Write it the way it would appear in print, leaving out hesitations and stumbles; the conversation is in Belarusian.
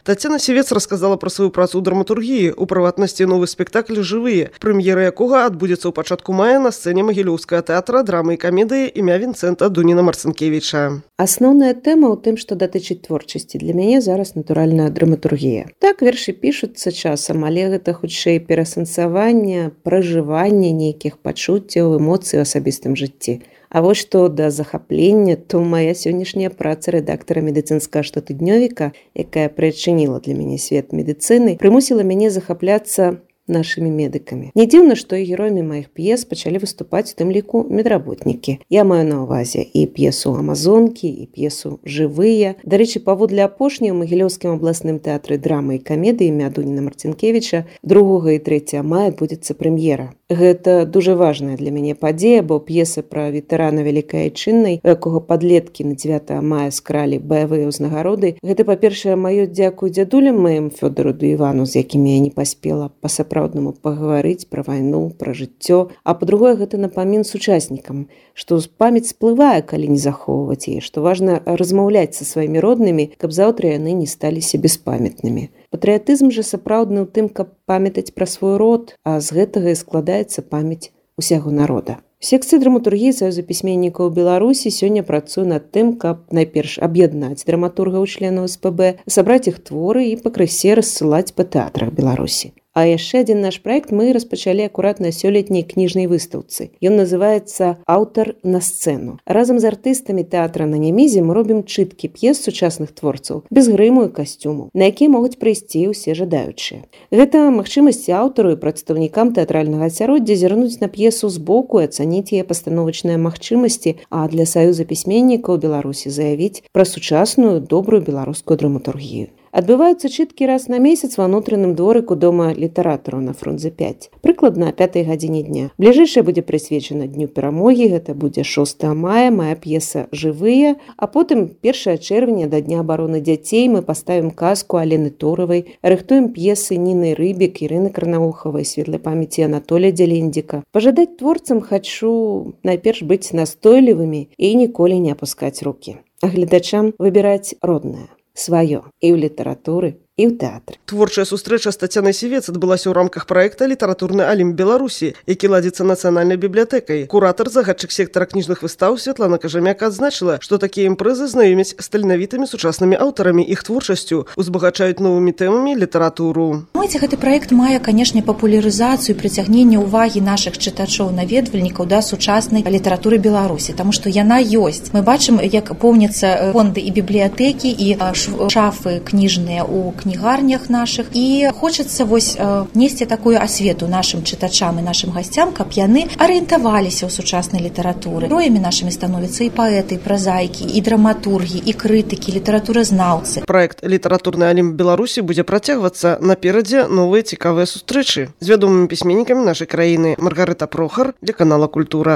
Тацяна Сівец рассказала про сваю працу ў драматургіі, у прыватнасці новы спектакль «Жывыя», прэм'ера якога адбудзецца ў пачатку мая на сцэне Магілёўскага тэатра драмы і камедыі імя Вінцэнта Дуніна-Марцынкевіча. Асноўная тэма ў тым, што датычыць творчасці. Для мяне зараз натуральная драматургія. Так, вершы пішуцца часам, але гэта хутчэй перасэнсаванне, пражыванне нейкіх пачуццяў, эмоцый у асабістым жыцці. А вось што да захаплення, то моя сённяшняя праца рэдактара медыцынскага штотыднёвіка, якая прычыніла для мяне свет медыцыны, прымусіла мяне захапляцца нашими медыкамі. Не дзіўна, што і героямі маіх п'ес пачалі выступаць у тым ліку медработнікі. Я маю на ўвазе і п'есу «Амазонкі», і п'есу «Жывыя». Дарэчы, паводле апошняй у Магілёўскім абласным тэатры драмы і камедыі імя Дуніна-Марцынкевіча 2 і 3 мая адбудзецца прэм'ера. Гэта дуже важная для мяне падзея, бо п'еса пра ветэрана Вялікай Айчыннай, у якога падлеткі на 9 мая скралі баявыя ўзнагароды. Гэта, па-першае, маё дзякуй дзядулям маім Фёдору ды Івану, з якімі я не паспела па-сапраўднаму пагаварыць пра вайну, пра жыццё. А па-другое, гэта напамін сучаснікам, што памяць сплывае, калі не захоўваць яе, што важна размаўляць са сваімі роднымі, каб заўтра яны не сталіся беспамятнымі. Патрыятызм жа сапраўдны ў тым, каб памятаць пра свой род, а з гэтага і складаецца памяць усяго народа. У секцыі драматургіі Саюза пісьменнікаў Беларусі сёння працую над тым, каб найперш аб'яднаць драматургаў членаў СПБ, сабраць іх творы і пакрысе рассылаць па тэатрах Беларусі. А яшчэ адзін наш праект мы распачалі акурат на сёлетняй кніжнай выстаўцы. Ён называецца «Аўтар на сцэну». Разам з артыстамі тэатра на Нямізе мы робім чыткі п'ес сучасных творцаў, без грыму і касцюму, на якія могуць прыйсці ўсе жадаючыя. Гэта магчымасці аўтару і прадстаўнікам тэатральнага асяроддзя зірнуць на п'есу збоку і ацаніць яе пастановачныя магчымасці, а для Саюза пісьменнікаў Беларусі заявіць пра сучасную, добрую беларускую драматургію. Адбываюцца чыткі раз на месяц ва ўнутраным дворыку дома літаратараў на Фрунзе 5, прыкладна о 5 гадзіне дня. Бліжэйшая будзе прысвечана Дню перамогі, гэта будзе 6 мая, моя п'еса «Жывыя», а потым 1 чэрвеня да Дня абароны дзяцей мы паставім казку Алены Торавай, рыхтуем п'есы Ніны Рыбік, Ірыны Карнаухавай, светлай памяці Анатолія Дзялендзіка. Пажадаць творцам хачу найперш быць настойлівымі і ніколі не апускаць рукі. А гледачам выбіраць роднае, сваё і ў літаратуры, і ў тэатры. Творчая сустрэча з Тацянай Сівец адбылася ў рамках праекта «Літаратурны алімп Беларусі», які ладзіцца Нацыянальнай бібліятэкай. Куратар, загадчык сектара кніжных выстаў Святлана Кажамяк адзначыла, што такія імпрэзы знаёмяць з таленавітымі сучаснымі аўтарамі, іх творчасцю, узбагачаюць новымі тэмамі літаратуру. Гэты праект мае, канешне, папулярызацыю, прыцягненне ўвагі нашых чытачоў, наведвальнікаў да сучаснай літаратуры Беларусі, таму што яна ёсць. Мы бачым, як поўняцца фонды і бібліятэкі, і шафы кніжныя ў кнігарнях наших, і хочацца несці такую асвету нашим чытачам і нашим гасцям, каб яны арыентаваліся ў сучаснай літаратуры. Героямі нашымі становяцца і паэты, і празаікі, і драматургі, і крытыкі, літаратуразнаўцы. Праект «Літаратурны алімп Беларусі» будзе працягвацца. Наперадзе новыя цікавыя сустрэчы з вядомымі пісьменнікамі нашай краіны. Маргарыта Прохар для канала «Культура».